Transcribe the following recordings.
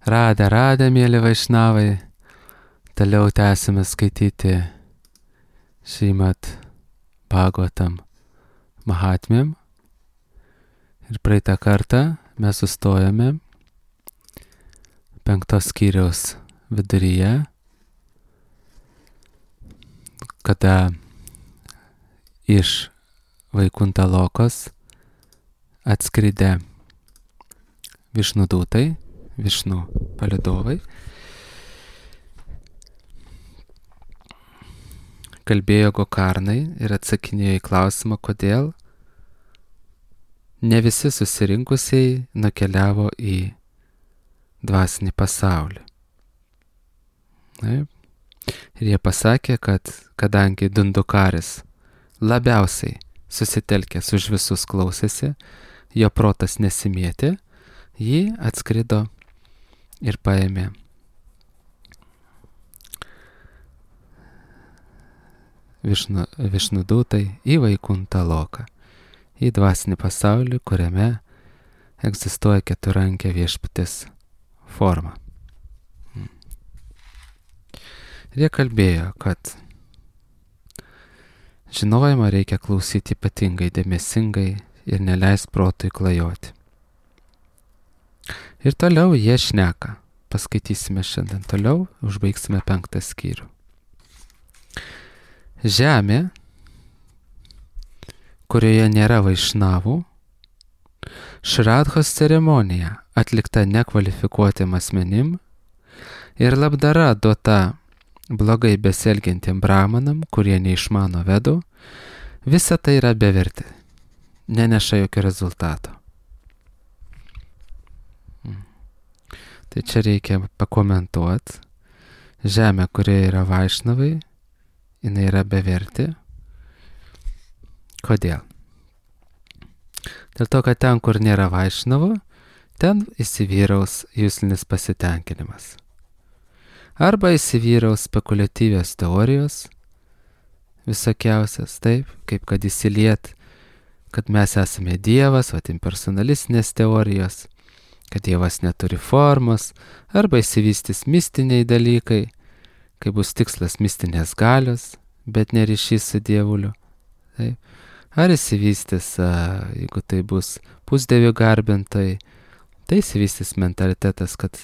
Radę, mėly vaišnavai, toliau tęsime skaityti Šrimad Bhagavatam Mahatmyam. Ir praeitą kartą mes sustojame 5 skyriaus viduryje, kada iš Vaikunta Lokos atskridę Višnudūtai, Višnų palydovai, kalbėjo Gokarnai ir atsakinėjo į klausimą, kodėl ne visi susirinkusiai nukeliavo į dvasinį pasaulį. Ir jie pasakė, kad kadangi Dundukaris labiausiai susitelkęs už visus klausėsi, jo protas nesimėtė, jį atskrido ir paėmė Višnudūtai į Vaikuntą Loką, į dvasinį pasaulį, kuriame egzistuoja keturankė viešpaties forma. Ir jie kalbėjo, kad žinojimą reikia klausyti ypatingai dėmesingai ir neleis protui klajoti. Ir toliau jie šneka. Paskaitysime šiandien toliau, užbaigsime 5 skyrių. Žemė, kurioje nėra vaišnavų, Šradhos ceremonija atlikta nekvalifikuotiem asmenim ir labdara duota blogai besielgiantiem brahmanam, kurie neišmano vedų, visa tai yra bevertė, neneša jokio rezultato. Tai čia reikia pakomentuoti. Žemė, kurioje yra vaišnavai, jinai yra bevertė. Kodėl? Dėl to, kad ten, kur nėra vaišnavų, ten įsivyraus juslinis pasitenkinimas. Arba įsivyraus spekuliatyvios teorijos, visokiausias, taip, kaip kad įsiliet, kad mes esame Dievas, impersonalistinės teorijos, kad Dievas neturi formos, arba įsivystys mistiniai dalykai, kai bus tikslas mistinės galios, bet ne ryšys su Dievuliu. Taip. Ar įsivystys, jeigu tai bus pusdievių garbintojai, tai įsivystys mentalitetas, kad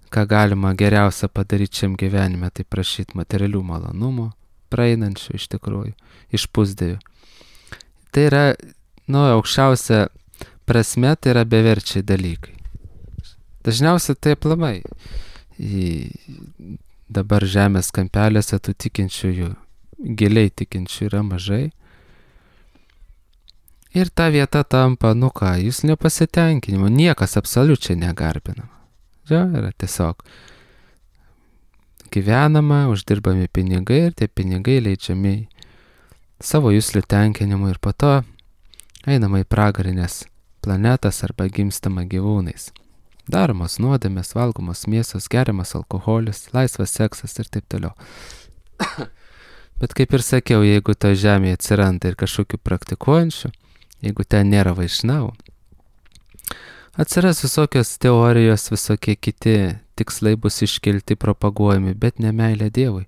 ką galima geriausia padaryti šiam gyvenime, tai prašyti materialių malonumų, praeinančių iš tikrųjų, iš pusdievių. Tai yra, aukščiausia prasme, tai yra beverčiai dalykai. Dažniausiai tai aplamai. Dabar žemės kampelėse tų tikinčiųjų, giliai tikinčių yra mažai. Ir ta vieta tampa, jūs nepasitenkinimo, niekas absoliučiai negarbinama. Yra tiesiog gyvenama, uždirbami pinigai ir tie pinigai leidžiami savo juslių tenkinimu ir po to einama į pragarinės planetas arba gimstama gyvūnais. Daromos nuodėmės, valgomos mėsos, geriamas alkoholis, laisvas seksas ir taip toliau. Bet kaip ir sakiau, jeigu to žemėje atsiranda ir kažkokių praktikuojančių, jeigu ten nėra vaišnavų, atsiras visokios teorijos, visokie kiti tikslai bus iškelti, propaguojami, bet ne meilė Dievui.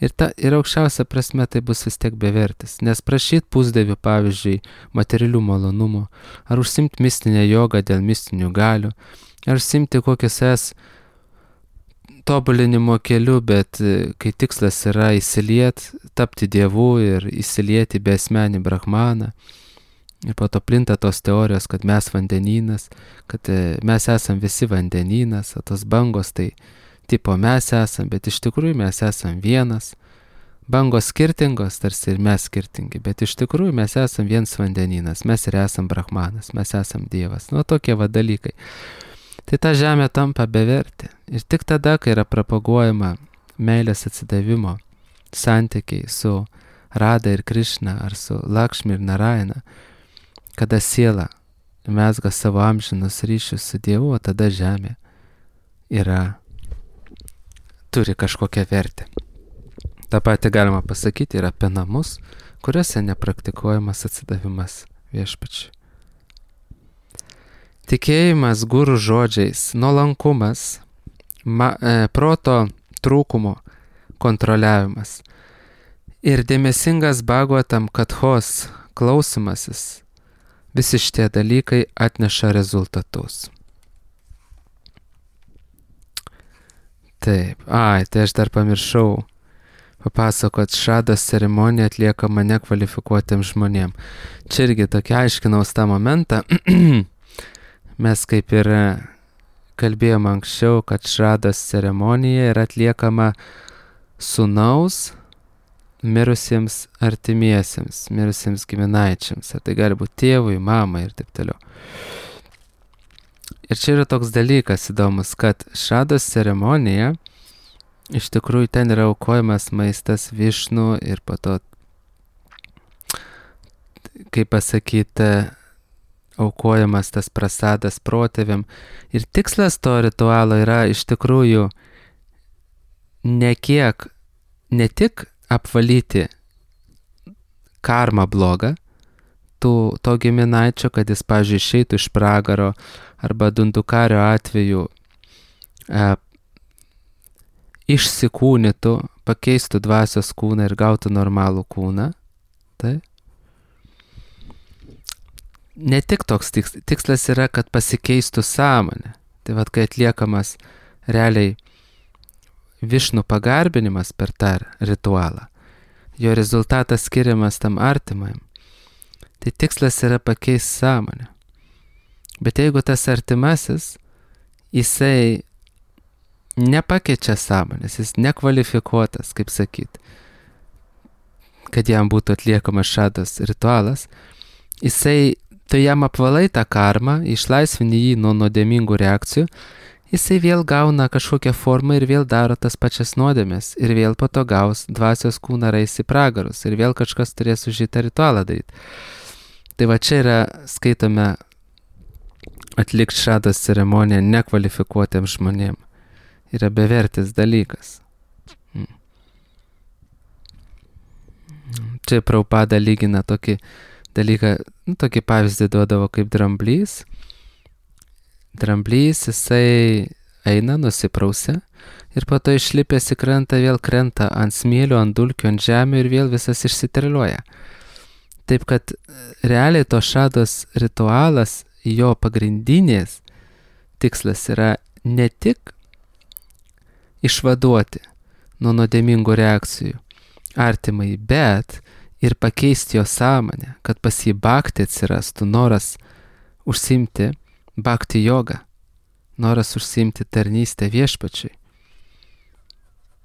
Ir aukščiausia prasme tai bus vis tiek bevertis, nes prašyti pusdievių, pavyzdžiui, materialių malonumų, ar užsimti mistinę jogą dėl mistinių galių, ar užsimti kokias tobulinimo keliu, bet kai tikslas yra įsiliet, tapti Dievu ir įsilieti beasmenį brahmaną, ir po to plinta tos teorijos, kad mes vandenynas, kad mes esam visi vandenynas, o tos bangos tai tipo mes esam, bet iš tikrųjų mes esam vienas. Bangos skirtingos, tarsi ir mes skirtingi, bet iš tikrųjų mes esam vienas vandenynas, mes ir esam brahmanas, mes esam Dievas. Tokie dalykai. Tai ta žemė tampa bevertė. Ir tik tada, kai yra propaguojama meilės atsidavimo santykiai su Rada ir Krišna, ar su Lakšmi ir Narayana, kada siela mezga savo amžinus ryšius su Dievu, o tada žemė turi kažkokią vertę. Ta pati galima pasakyti ir apie namus, kuriuose nepraktikuojamas atsidavimas viešpačiui. Tikėjimas guru žodžiais, nuolankumas, proto trūkumo kontroliavimas ir dėmesingas Bhagavatam kathos klausimasis, visi šitie dalykai atneša rezultatus. Taip, tai aš dar pamiršau papasakot, šados ceremonija atliekama nekvalifikuotiem žmonėm. Čia irgi tokia aiškinaus tą momentą. Mes kaip ir kalbėjom anksčiau, kad šados ceremonija yra atliekama sūnaus mirusiems artimiesiems, mirusiems giminaičiams. Ar tai gali būti tėvui, mamai ir taip toliau. Ir čia yra toks dalykas įdomus, kad šados ceremonija, iš tikrųjų ten yra aukojamas maistas Višnu ir po to, kaip pasakyti, aukojamas tas prasadas protėviam. Ir tikslas to ritualo yra iš tikrųjų ne tik apvalyti karmą blogą to giminaičio, kad jis, pavyzdžiui, išeitų iš pragaro, arba Dundukario atveju išsikūnytų, pakeistų dvasios kūną ir gautų normalų kūną. Tai ne tik toks tikslas yra, kad pasikeistų sąmonė. Tai vat, kai atliekamas realiai Višnu pagarbinimas per tą ritualą, jo rezultatas skiriamas tam artimajam, tai tikslas yra pakeisti sąmonę. Bet jeigu tas artimasis, jisai nepakeičia sąmonės, jis nekvalifikuotas, kaip sakyt, kad jam būtų atliekamas šados ritualas, tai jam apvalai tą karmą, išlaisvini jį nuo nuodėmingų reakcijų, jisai vėl gauna kažkokią formą ir vėl daro tas pačias nuodėmės, ir vėl po to gaus dvasios kūną rais į pragarus, ir vėl kažkas turės už šitą ritualą daryti. Tai va čia yra, skaitome, atlikti šados ceremoniją nekvalifikuotiems žmonėm. Yra bevertis dalykas. Čia Prabhupada lygina tokį dalyką, tokį pavyzdį duodavo kaip dramblys. Dramblys, jisai eina, nusiprausia ir po to išlipęs į krantą vėl krenta ant smėlio, ant dulkių, ant žemė ir vėl visas išsiterliuoja. Taip kad realiai to šados ritualas, jo pagrindinės tikslas yra ne tik išvaduoti nuo nuodėmingų reakcijų artimai, bet ir pakeisti jo sąmonę, kad pas jį bhakti atsirastų noras užsiimti bhakti jogą, noras užsiimti tarnystę viešpačiui.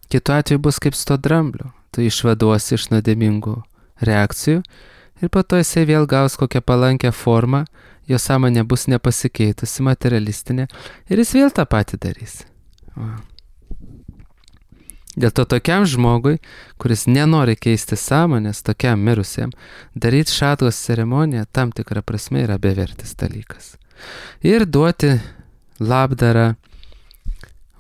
Kitu atveju bus kaip su to drambliu, tu išvaduosi iš nuodėmingų reakcijų ir po to jisai vėl gaus kokią palankę formą, jo sąmonė bus nepasikeitusi, materialistinė, ir jis vėl tą patį darys. Dėl to tokiam žmogui, kuris nenori keisti sąmonės, tokiam mirusiam, daryti šados ceremoniją tam tikrą prasme yra bevertis dalykas. Ir duoti labdarą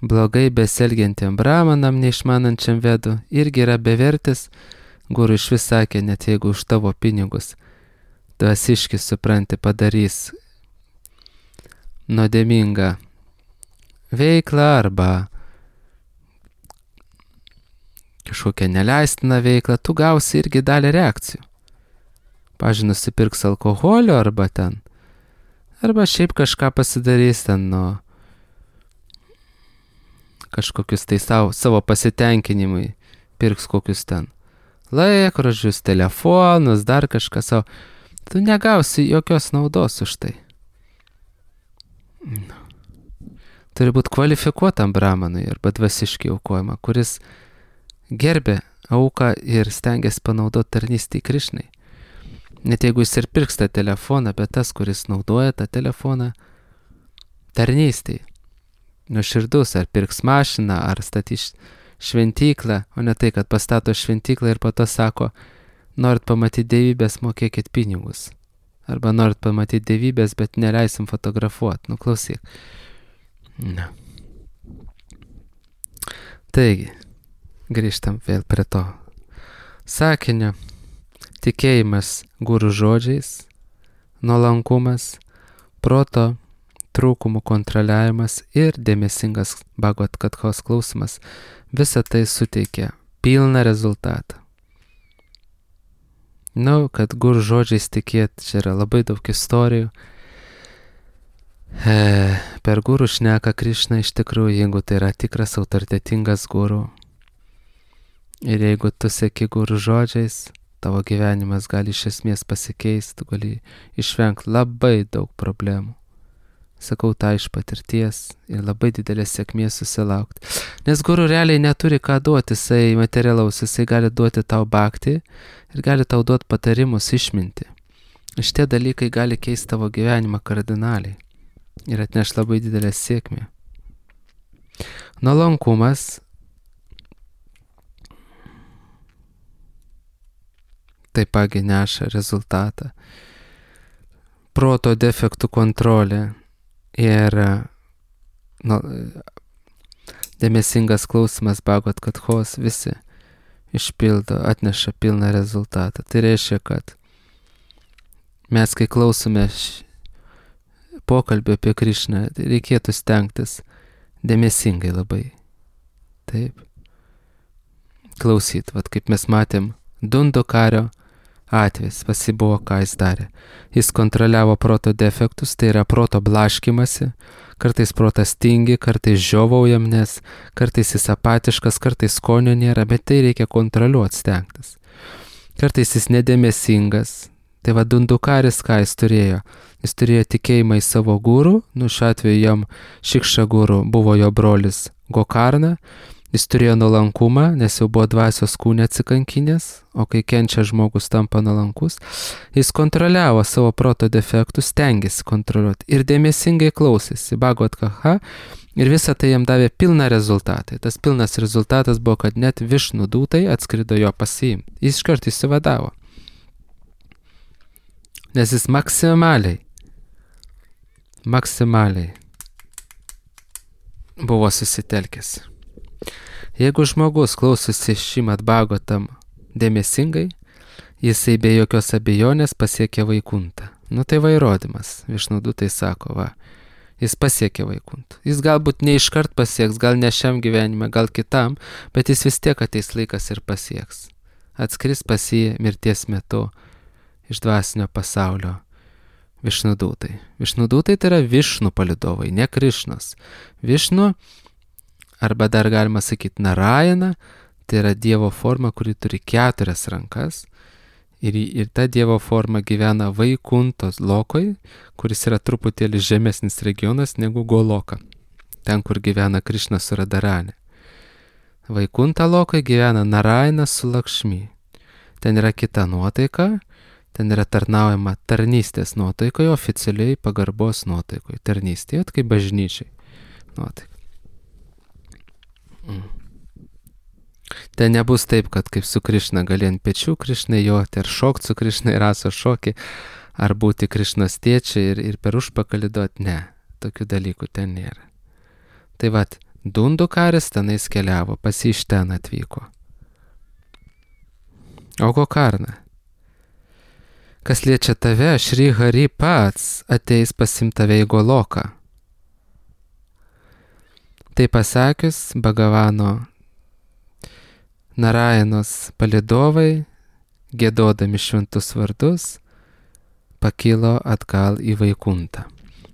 blogai besielgiantiem brahmanam, neišmanančiam vedų, irgi yra bevertis. Guru iš vis sakė, net jeigu už tavo pinigus dvasiškis, supranti, padarys nuodėmingą veiklą arba kažkokią neleistiną veiklą, tu gausi irgi dalį reakcijų. Pavyzdžiui, nusipirks alkoholio arba šiaip kažką pasidarys ten nuo kažkokius tai savo pasitenkinimui, pirks kokius ten laikrodžius, telefonus, dar kažką savo. Tu negausi jokios naudos už tai. Turi būti kvalifikuotam brahmanui arba dvasiškai aukojama, kuris gerbė auką ir stengiasi panaudoti tarnystį Krišnai. Net jeigu jis ir pirks tą telefoną, bet tas, kuris naudoja tą telefoną tarnystį, nuoširdus, ar pirks mašiną, ar statys šventyklą, o ne tai, kad pastato šventyklą ir po to sako, norit pamatyti dievybės, mokėkit pinigus. Arba norit pamatyti dievybės, bet neleisim fotografuoti. Nu, klausyk. Na. Taigi, grįžtam vėl prie to sakinio. Tikėjimas guru žodžiais, nuolankumas, proto trūkumų kontroliavimas ir dėmesingas Bhagavad Kathos klausimas, visa tai suteikia pilną rezultatą. Kad gurų žodžiais tikėti, čia yra labai daug istorijų. Per gurų šneka Krišna iš tikrųjų, jeigu tai yra tikras autoritetingas gurų. Ir jeigu tu seki gurų žodžiais, tavo gyvenimas gali iš esmės pasikeisti, tu gali išvengti labai daug problemų. Sakau tą iš patirties ir labai didelės sėkmės susilaukti. Nes gurų realiai neturi ką duoti, jisai materialaus, jisai gali duoti tau bhakti ir gali tau duoti patarimus, išminti. Šitie dalykai gali keisti tavo gyvenimą kardinaliai ir atneš labai didelę sėkmę. Nuolankumas taip pat neša rezultatą. Proto defektų kontrolė ir dėmesingas klausimas Bhagavad Kathos visi išpildo, atneša pilną rezultatą. Tai reiškia, kad mes, kai klausome pokalbio apie Krišną, reikėtų stengtis dėmesingai labai. Taip. Klausyt, kaip mes matėm, Dundukario atvejis, pasibuvo, ką jis darė. Jis kontroliavo proto defektus, tai yra proto blaškimasi, kartais protas tingi, kartais žiovaujam, nes kartais jis apatiškas, kartais skonio nėra, bet tai reikia kontroliuoti, stengtis. Kartais jis nedėmesingas. Tai Dundukaris, ką jis turėjo? Jis turėjo tikėjimą į savo gurų, šiuo atveju jam Šikša gurų buvo jo brolis Gokarna. Jis turėjo nuolankumą, nes jau buvo dvasios kūne atsikankinės, o kai kenčia žmogus tampa nuolankus, jis kontroliavo savo proto defektus, stengėsi kontroliuoti ir dėmesingai klausėsi Bhagavad Gita ir visą tai jam davė pilną rezultatą. Tas pilnas rezultatas buvo, kad net Višnu dūtai atskrido jo pasiimti. Jis iškart išsivadavo. Nes jis maksimaliai buvo susitelkęs. Jeigu žmogus klausosi Šrimad Bhagavatam dėmesingai, jisai be jokios abejonės pasiekia Vaikuntą. Tai įrodymas. Višnu dūtai sako, jis pasiekė Vaikuntą. Jis galbūt ne iškart pasieks, gal ne šiam gyvenime, gal kitam, bet jis vis tiek ateis laikas ir pasieks. Atskris pas jį mirties metu iš dvasinio pasaulio Višnu dūtai. Višnu dūtai tai yra Višnu palydovai, ne Krišnos. Višnu, arba dar galima sakyti Narayana, tai yra Dievo forma, kuri turi 4 rankas ir ta Dievo forma gyvena Vaikuntos lokoj, kuris yra truputėlį žemesnis regionas negu Goloka, ten, kur gyvena Krišna su Radharani. Vaikunta lokoj gyvena Narayana su Lakšmi. Ten yra kita nuotaika, ten yra tarnaujama tarnystės nuotaikoje, oficialiai pagarbos nuotaikoje, tarnystėje, kaip bažnyčiai nuotaika. Ten nebus taip, kad kaip su Krišna gali ant pečių Krišnai joti, ar šokti su Krišnai raso šokį, ar būti Krišnos tėčiai ir per užpakalį duoti. Ne, tokių dalykų ten nėra. Tai Dundukaris tenais keliavo, pas jį iš ten atvyko. O Gokarna? Kas liečia tave, Šri Hari pats ateis pasiimti tave į Goloką. Tai pasakius, Bhagavano Narayanos palydovai, giedodami šventus vardus, pakilo atgal į Vaikuntą.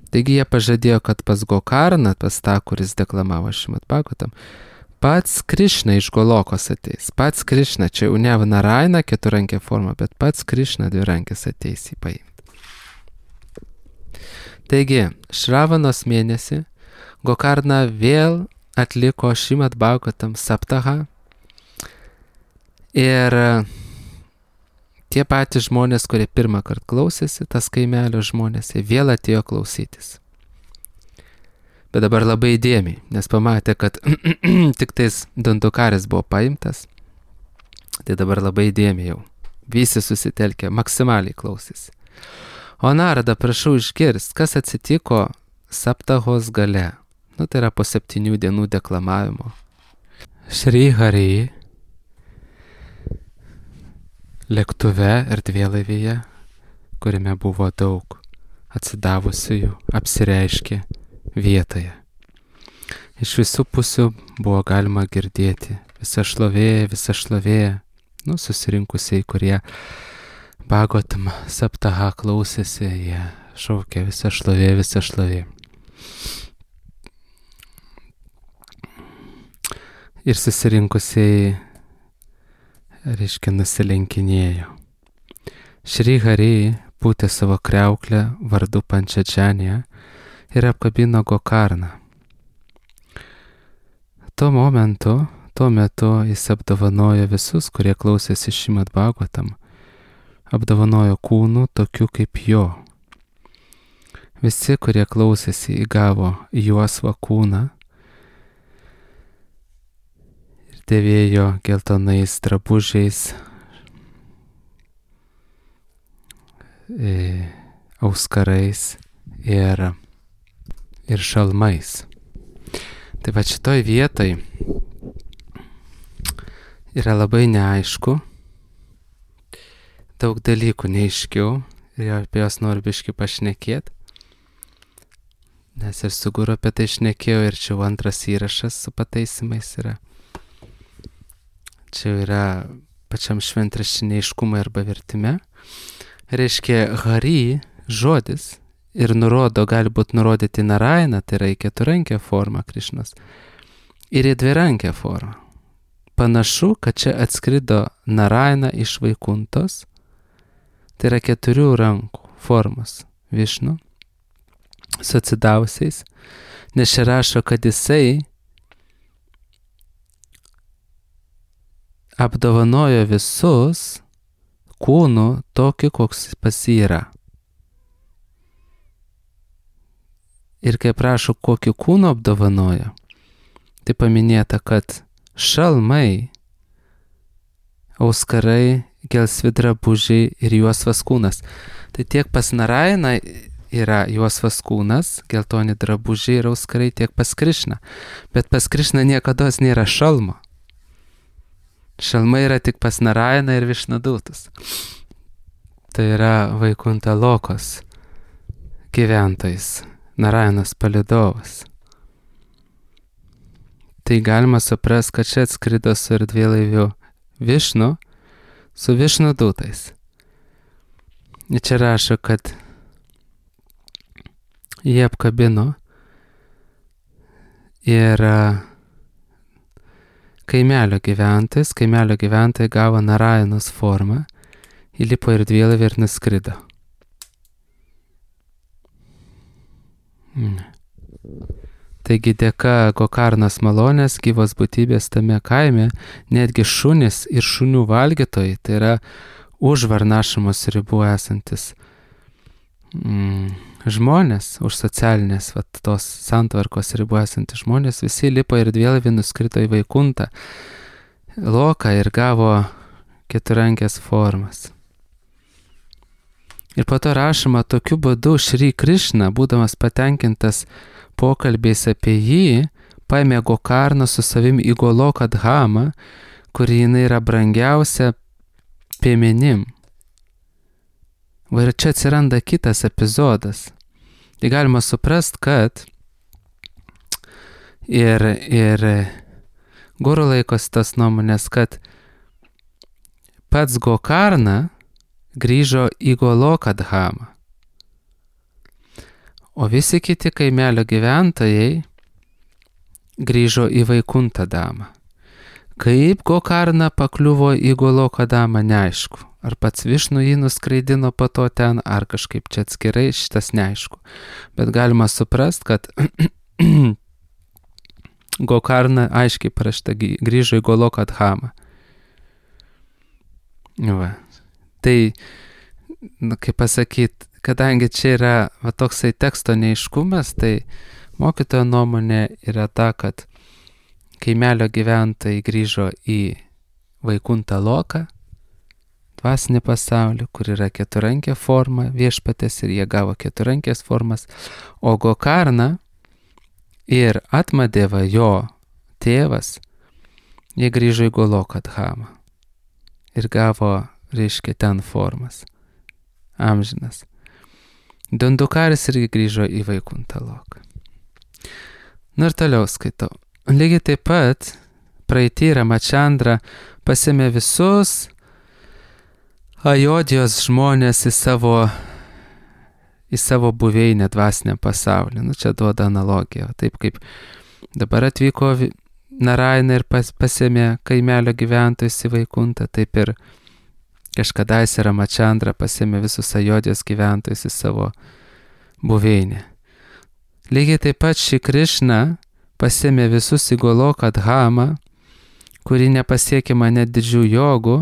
Taigi jie pažadėjo, kad pas Gokarną, pas tą, kuris deklamavo Šrimad Bhagavatam, pats Krišna iš Golokos ateis. Pats Krišna, čia jau ne Narayana keturankė forma, bet pats Krišna dvirankės ateis į paimti. Taigi, Šravanos mėnesį Gokarna vėl atliko Šrimad Bhagavatam saptaha ir tie patys žmonės, kurie pirmą kartą klausėsi, tas kaimelio žmonės, jie vėl atėjo klausytis. Bet dabar labai įdėmiai, nes pamatė, kad tik tais Dundukaris buvo paimtas, tai dabar labai įdėmiai jau. Visi susitelkė, maksimaliai klausėsi. O Narada, prašau išgirsti, kas atsitiko saptahos gale. Tai yra po 7 dienų deklamavimo. Šri Hari lėktuve erdvėlaivyje, kuriame buvo daug atsidavusiųjų apsireiškė vietoje. Iš visų pusių buvo galima girdėti visa šlovė, susirinkusiai, kurie Bhagavatam Saptaha klausėsi, jie šaukė visa šlovė. Ir susirinkusiai, nusilenkinėjo. Šri Hari pūtė savo kriauklę vardu Pančačanija ir apkabino Gokarną. Tuo metu jis apdovanojo visus, kurie klausėsi Šrimad Bhagavatam, apdovanojo kūnų tokių kaip jo. Visi, kurie klausėsi, įgavo juosvą kūną ir dėvėjo geltonais drabužiais, auskarais ir šalmais. Tai va šitoj vietoj yra labai neaišku, daug dalykų neaiškių ir apie jos noriu biškį pašnekėti, nes ir su Guru apie tai šnekėjau ir čia antras įrašas su pataisimais yra. Čia yra pačiam šventraštinė aiškumai arba vertime. Reiškia, Hari žodis ir gali būti nurodyti Narayana, tai yra į keturankę formą Krišnos, ir į dvirankę formą. Panašu, kad čia atskrido Narayana iš Vaikuntos, tai yra 4 rankų formos Višnu, su atsidavusiais, nes čia rašo, kad jisai apdovanojo visus kūnų tokį, koks pas jį yra. Ir kai prašo, kokį kūną apdovanojo, tai paminėta, kad šalmai, auskarai, gelsvi drabužiai ir juosvas kūnas. Tai tiek pas Narayaną yra juosvas kūnas, geltoni drabužiai ir auskarai, tiek pas Krišną. Bet pas Krišną niekados nėra šalmo. Šalmai yra tik pas Narayaną ir Višnudūtus. Tai yra Vaikunta Lokos gyventojais, Narayanas palydovas. Tai galima suprasti, kad čia atskrido su erdvėlaiviu Višnu su Višnudūtais. Ir čia rašo, kad jie apkabino ir kaimelio gyventojai gavo Narayanos formą, įlipo ir dvielaivį ir nuskrido. Taigi dėka Gokarnos malonės gyvos būtybės tame kaime, netgi šunys ir šunių valgytojai, tai yra už Varnašamos ribų esantis žmonės, už socialinės tos santvarkos ribų esantis žmonės, visi lipo ir dvielaivį nuskrito į Vaikuntą Loką ir gavo keturankės formas. Ir po to rašoma, tokiu būdu Šri Krišna, būdamas patenkintas pokalbiais apie jį, paėmė Gokarną su savim į Goloką Dhamą, kuri jinai yra brangiausia piemenim. Ir čia atsiranda kitas epizodas. Tai galima suprast, kad ir Guru laikosi tas nuomonės, kad pats Gokarna grįžo į Goloką Dhamą, o visi kiti kaimelio gyventojai grįžo į Vaikuntą Dhamą. Kaip Gokarna pakliuvo į Goloką Dhamą, neaišku. Ar pats Višnu jį nuskraidino po to ten, ar kažkaip čia atskirai, šitas neaišku. Bet galima suprast, kad Gokarna aiškiai parašta grįžo į Goloką Dhamą. Va. Tai, kaip pasakyti, kadangi čia yra toksai teksto neaiškumas, tai mokytojo nuomonė yra ta, kad kaimelio gyventojai grįžo į Vaikuntą Loką, dvasinį pasaulį, kur yra keturankė forma viešpatės ir jie gavo keturankės formas, o Gokarna ir Atmadeva, jo tėvas, jie grįžo į Goloką Dhamą ir gavo, reiškia, ten formas, amžinas. Dandukaris irgi grįžo į Vaikuntą loką. Na ir toliau skaitau. Lygiai taip pat praeitį Ramachandra pasėmė visus Ajodijos žmonės į savo buveinę dvasiniam pasaulį. Nu, čia duoda analogiją. Taip kaip dabar atvyko Naraina ir pasėmė kaimelio gyventojus į Vaikuntą, taip ir kažkadaise Ramachandra pasėmė visus Ajodijos gyventojus į savo buveinę. Lygiai taip pat Šri Krišna pasėmė visus į Goloką Dhamą, kuri nepasiekiama net didžių jogų,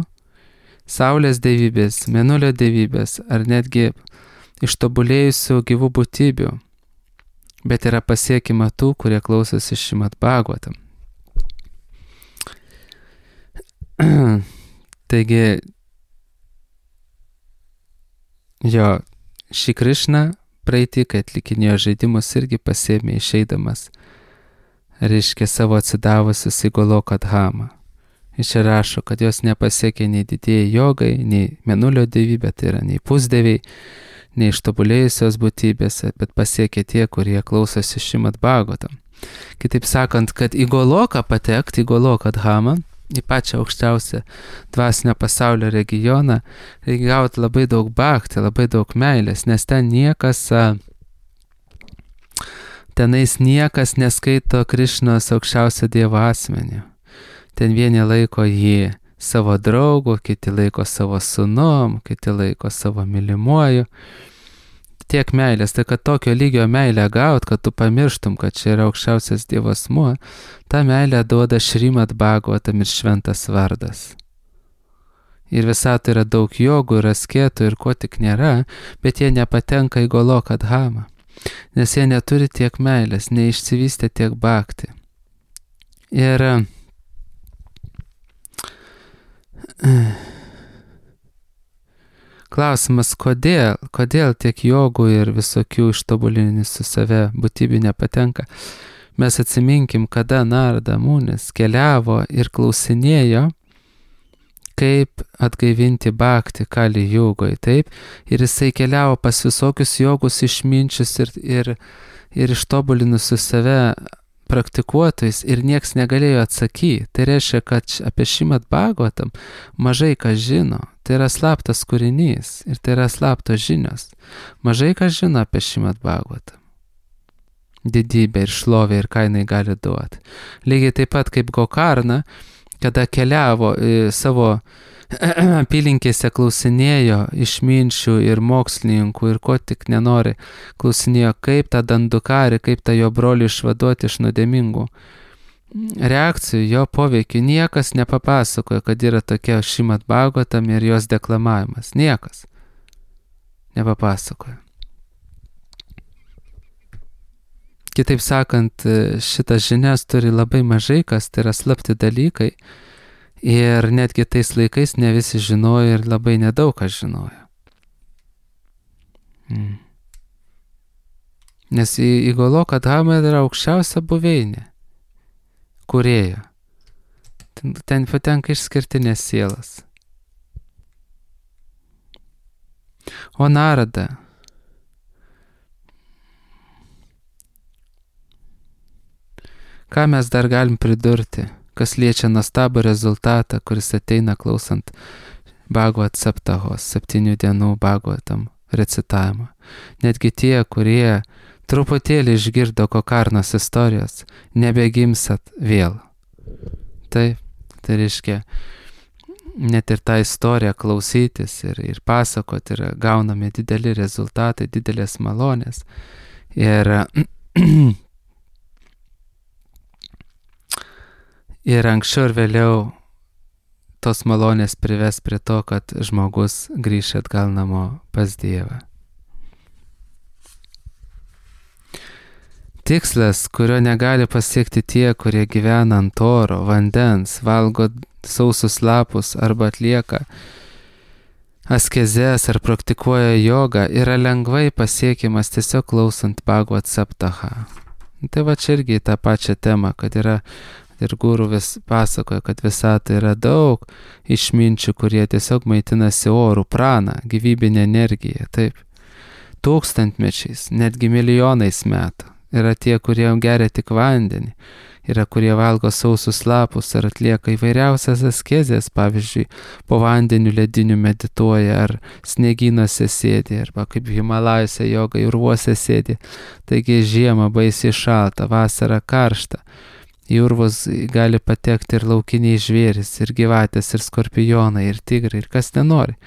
saulės dievybės, mėnulio dievybės ar netgi ištobulėjusių gyvų būtybių, bet yra pasiekima tų, kurie klausosi Šrimad Bhagavatam. Taigi, Šri Krišna praeitį, kai atlikinėjo žaidimus, irgi pasėmė išeidamas, reiškia savo atsidavusius į Goloką Dhamą. Ir čia rašo, kad jos nepasiekė nei didieji jogai, nei mėnulio dievybė, tai yra nei pusdieviai, nei ištobulėjusios būtybės, bet pasiekė tie, kurie klausosi Šrimad Bhagavatam. Kitaip sakant, kad į Goloką patekti, į Goloką Dhamą, į pačią aukščiausią dvasinio pasaulio regioną, reikia gauti labai daug bhakti, labai daug meilės, nes tenais niekas neskaito Krišnos aukščiausio Dievo asmenį. Ten vieni laiko jį savo draugu, kiti laiko savo sūnum, kiti laiko savo mylimuoju. Tiek meilės, tai kad tokio lygio meilę gaut, kad tu pamirštum, kad čia yra aukščiausias Dievo asmuo, tą meilę duoda Šrimad Bhagavatam ir šventas vardas. Ir visatoje yra daug jogų ir asketų ir ko tik nėra, bet jie nepatenka į Goloką Dhamą, nes jie neturi tiek meilės, neišsivystė tiek bhakti. Ir klausimas, kodėl tiek jogų ir visokių ištobulinimų su save būtybių nepatenka. Mes atsiminkim, kada Narada Munis keliavo ir klausinėjo, kaip atgaivinti bhakti Kali Jugoj, taip, ir jisai keliavo pas visokius jogus išminčius ir ištobulinusius save praktikuotojais ir nieks negalėjo atsakyti. Tai reiškia, kad apie Šrimad Bhagavatam mažai kas žino. Tai yra slaptas kūrinys ir tai yra slaptos žinios. Mažai kas žino apie Šrimad Bhagavatam. Didybę ir šlovę ir ką jinai gali duoti. Lygiai taip pat kaip Gokarna, kada keliavo savo apylinkėse klausinėjo išminčių ir mokslininkų ir ko tik nenori, klausinėjo, kaip tą Dandukarį, kaip tą jo brolį išvaduoti iš nuodėmingų reakcijų, jo poveikių. Niekas nepapasakojo, kad yra tokia Šrimad Bhagavatam ir jos deklamavimas. Niekas nepapasakojo. Kitaip sakant, šitas žinias turi labai mažai kas, tai yra slapti dalykai. Ir netgi tais laikais ne visi žinojo ir labai nedaug kas žinojo. Nes į Goloką Dhamą yra aukščiausia buveinė, kūrėjo. Ten patenka išskirtinės sielas. O Narada, ką mes dar galim pridurti, kas liečia nuostabų rezultatą, kuris ateina klausant Bhagavat Saptahos, 7 dienų Bhagavatam recitavimą. Netgi tie, kurie truputėlį išgirdo Gokarnos istorijos, nebegimsat vėl. Taip, tai reiškia, net ir tą istoriją klausytis ir pasakoti yra gaunami dideli rezultatai, didelės malonės. Ir anksčiau ir vėliau tos malonės prives prie to, kad žmogus grįš atgal namo pas Dievą. Tikslas, kurio negali pasiekti tie, kurie gyvena ant oro, vandens, valgo sausus lapus arba atlieka askezes ar praktikuoja jogą, yra lengvai pasiekiamas tiesiog klausant Bhagavat Saptahą. Tai va čia irgi tą pačią temą, kad yra ir guru vis pasakoja, kad visatoje yra daug išminčių, kurie tiesiog maitinasi orų, prana, gyvybinė energija, taip. tūkstantmečiais, netgi milijonais metų. Yra tie, kurie geria tik vandenį, yra kurie valgo sausus lapus ar atlieka įvairiausias askezės, pavyzdžiui, po vandeniu lediniu medituoja ar sniegynuose sėdi, arba kaip Himalajose joga urvuose sėdi. Taigi žiemą baisiai šalta, vasara karšta. Į urvus gali patekti ir laukiniai žvėris, ir gyvatės, ir skorpionai, ir tigrai, ir kas nenori.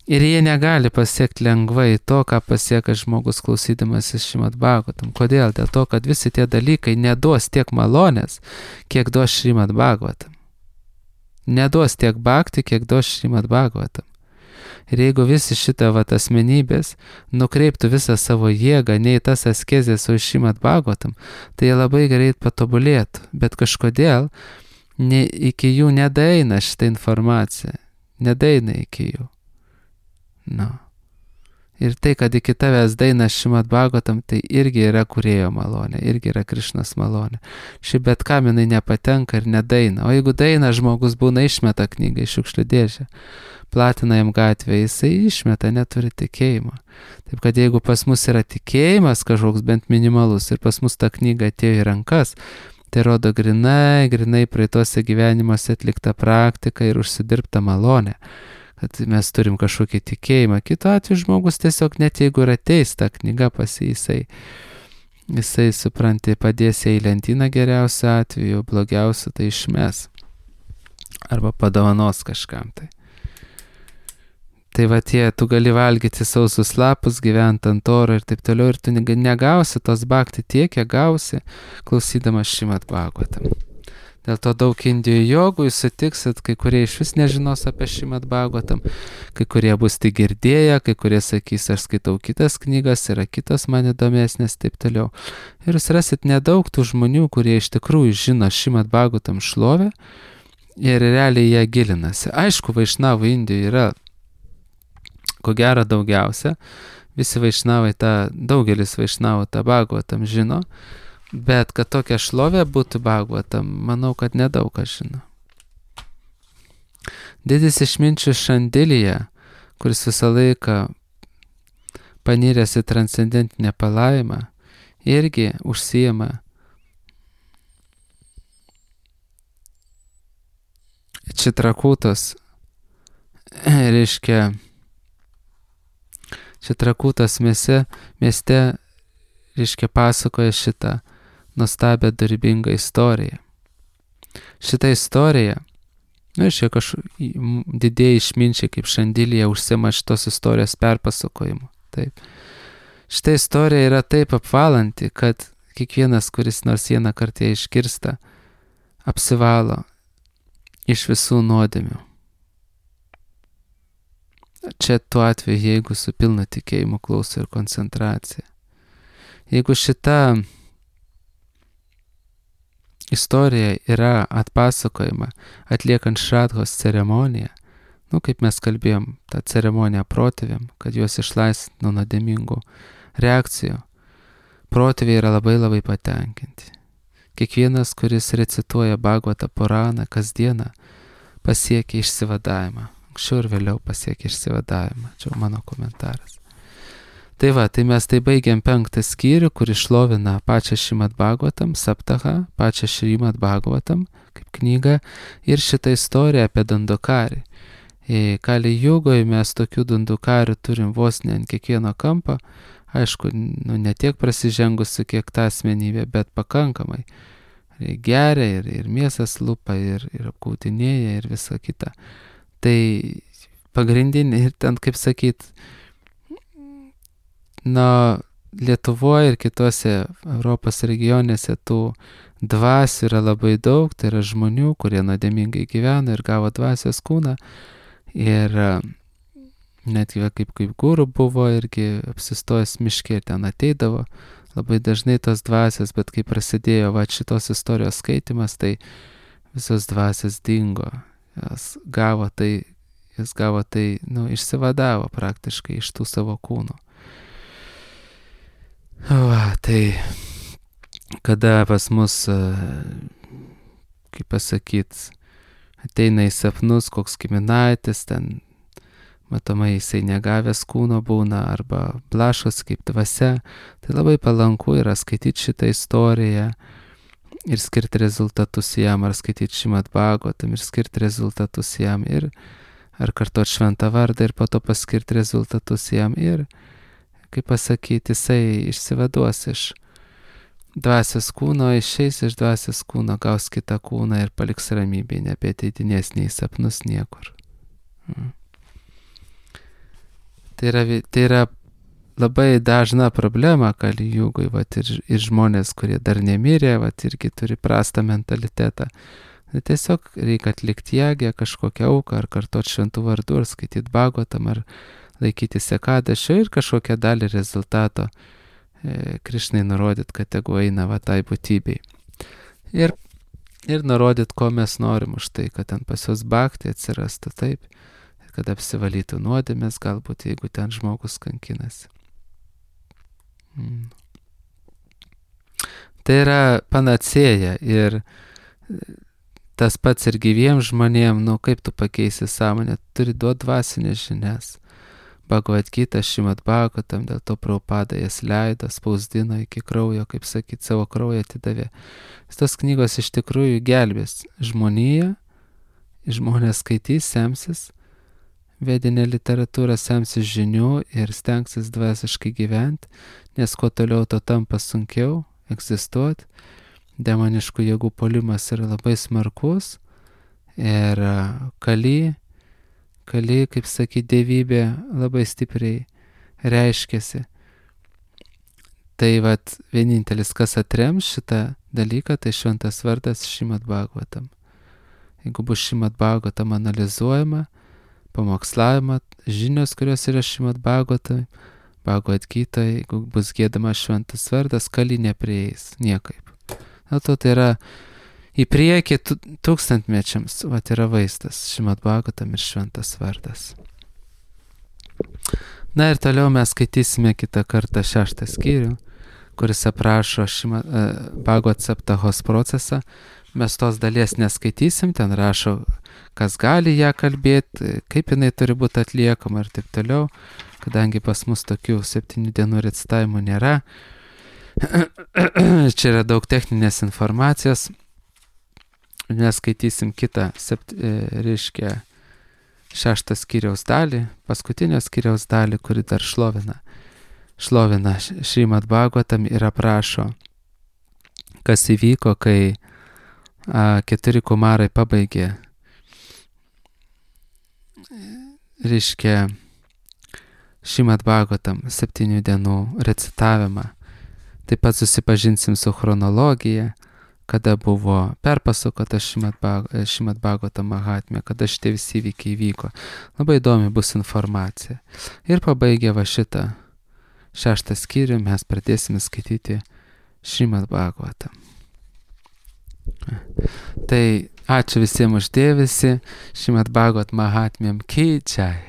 Ir jie negali pasiekti lengvai to, ką pasieka žmogus klausydamasis Šrimad Bhagavatam. Kodėl? Dėl to, kad visi tie dalykai neduos tiek malonės, kiek duos Šrimad Bhagavatam. Neduos tiek bhakti, kiek duos Šrimad Bhagavatam. Ir jeigu visi šitą asmenybės nukreiptų visą savo jėgą ne į tas askezės, o į Šrimad Bhagavatam, tai jie labai greit patobulėtų. Bet kažkodėl iki jų nedaeina šitą informaciją. Nedaeina iki jų. Ir tai, kad iki tavęs daina Šrimad Bhagavatam, tai irgi yra kūrėjo malonė, irgi yra Krišnos malonė. Ši bet kam jinai nepatenka ir nedaina. O jeigu daina, žmogus būna išmeta knygą iš šiukšlių dėžę, platina jam gatvę, jisai išmeta, neturi tikėjimo. Taip kad jeigu pas mus yra tikėjimas kažkoks bent minimalus ir pas mus ta knyga atėjo į rankas, tai rodo grinai praeituose gyvenimuose atlikta praktika ir užsidirbta malonė. Kad mes turim kažkokį tikėjimą. Kitu atveju žmogus tiesiog net jeigu ir ateis tą knygą pas jisai supranti, padės į lentyną geriausiu atveju, blogiausiu tai išmes. Arba padovanos kažkam tai. Tai tu gali valgyti sausus lapus, gyventi ant oro ir taip toliau, ir tu negausi tos bhakti tiek, kiek gausi, klausydamas Šrimad Bhagavatam. Dėl to daug Indijų jogų jūs sutiksit, kai kurie iš vis nežinos apie Šrimad Bhagavatam, kai kurie bus tik girdėję, kai kurie sakys, aš skaitau kitas knygas, yra kitos man įdomesnės, taip toliau. Ir jūs rasit nedaug tų žmonių, kurie iš tikrųjų žino Šrimad Bhagavatam šlovę ir realiai ją gilinasi. Aišku, vaišnavų Indijoje yra, ko gero, daugiausia. Visi vaišnavai daugelis vaišnavų tą Bhagavatam žino. Bet kad tokia šlovė būtų Bhagavatam, manau, kad nedaug kas žino. Didis išminčius Šandilija, kuris visą laiką paniręs į transcendentinę palaimą, irgi užsijama Čitrakutos, reiškia Čitrakutos mieste, reiškia pasakoja šitą nuostabią dorybingą istoriją. Šitą istoriją, didieji išminčiai kaip Šandilija užsiima šitos istorijos perpasakojimu. Taip. Šitą istoriją yra taip apvalanti, kad kiekvienas, kuris nors vieną kartą išgirsta, apsivalo iš visų nuodėmių. Čia tuo atveju, jeigu su pilna tikėjimu klauso ir koncentracija. Jeigu šita istorija yra atpasakojama atliekant šradhos ceremoniją, kaip mes kalbėjom, tą ceremoniją protėviam, kad juos išlaisvint nuo nuodėmingų reakcijų, protėviai yra labai labai patenkinti. Kiekvienas, kuris recituoja Bhagavata Puraną kasdieną, pasiekia išsivadavimą. Anksčiau ir vėliau pasiekia išsivadavimą. Čia mano komentaras. Tai mes baigiam 5 skyrių, kur išlovina pačią Šrimad Bhagavatam, Saptaha, pačią Šrimad Bhagavatam, kaip knygą, ir šitą istoriją apie Dandukarį. Kali Jugoje mes tokių Dandukarių turim vos ne ant kiekvieno kampo, aišku, ne tiek prasižengusi, kiek ta asmenybė, bet pakankamai. Geria ir mėsas lupa, ir apkautinėja, ir visa kita. Tai pagrindinė, ir ten, kaip sakyt, Lietuvoje ir kitose Europos regionėse tų dvasių yra labai daug, tai yra žmonių, kurie nuodėmingai gyvena ir gavo dvasios kūną. Ir netgi kaip guru buvo irgi apsistojęs miške ir ten ateidavo labai dažnai tos dvasios, bet kai prasidėjo šitos istorijos skaitimas, tai visos dvasios dingo. Jis gavo tai, išsivadavo praktiškai iš tų savo kūnų. Tai kada pas mus, kaip pasakyt, ateina į sapnus koks giminaitis, ten matomai jisai negavęs kūno būna arba blaškos kaip dvasia, tai labai palanku yra skaityti šitą istoriją ir skirti rezultatus jam, ar skaityti Šrimad Bhagavatam ir skirti rezultatus jam, ir ar kartuoti šventą vardą ir po to paskirti rezultatus jam, ir, kaip pasakyti, jisai išsivaduos iš dvasios kūno, išeis iš dvasios kūno, gaus kitą kūną ir paliks ramybėje, nebeateidinės nei sapnus niekur. Tai yra labai dažna problema Kali Jugoj, ir žmonės, kurie dar nemirė, irgi turi prastą mentalitetą. Tai tiesiog reikia atlikti jagę, kažkokią auką, ar kartuoti šventų vardų, ar skaityti Bhagavatam, ar laikyti sekadašio ir kažkokią dalį rezultato Krišnai nurodyt, kad tegu eina tai būtybei. Ir nurodyt, ko mes norim už tai, kad ten pas juos bhakti atsirastų, taip, kad apsivalytų nuodėmės, galbūt jeigu ten žmogus kankinasi. Tai yra panacėja, ir tas pats ir gyviems žmonėm, kaip tu pakeisi sąmonę, turi duoti dvasinės žinias. Bhagavad Gita, Šrimad Bhagavatam, dėl to Prabhupada jas leido, spausdino iki kraujo, kaip sakyt, savo kraują atidavė. Tos knygos iš tikrųjų gelbės žmoniją, žmonės skaitys, semsis vedinę literatūrą, semsis žinių ir stengsis dvasiškai gyventi, nes kuo toliau to tampa sunkiau egzistuoti. Demoniškų jėgų puolimas yra labai smarkus ir Kali, kaip sakyti, dievybė labai stipriai reiškiasi. Tai vienintelis, kas atrems šitą dalyką, tai šventas vardas Šrimad Bhagavatam. Jeigu bus Šrimad Bhagavatam analizuojama, pamokslavima, žinios, kurios yra Šrimad Bhagavatam, Bhagavad Gita, jeigu bus giedama šventas vardas, Kali neprieis niekaip. Dėl to tai yra į priekį tūkstantmečiams, yra vaizdas Šrimad Bhagavatam ir šventas vardas. Na ir toliau mes skaitysime kitą kartą 6 skyrių, kuris aprašo Bhagavad Saptahos procesą. Mes tos dalies neskaitysim, ten rašo, kas gali ją kalbėti, kaip jinai turi būti atliekama ir taip toliau, kadangi pas mus tokių 7 dienų recitavimų nėra. Čia yra daug techninės informacijos. Mes skaitysim kitą, 6 skyriaus dalį, paskutinio skyriaus dalį, kuri dar šlovina Šrimad Bhagavatam ir aprašo, kas įvyko, kai 4 kumarai pabaigė, Šrimad Bhagavatam 7 dienų recitavimą. Taip pat susipažinsim su chronologija, kada buvo perpasakota Šrimad Bhagavatam Mahatmė, kada šitie visi įvykiai vyko. Labai įdomi bus informacija. Ir pabaigę šitą 6 skyrių mes pradėsime skaityti Šrimad Bhagavatam. Tai ačiū visiems už dėmesį. Šrimad Bhagavatam Mahatmėm ki jai.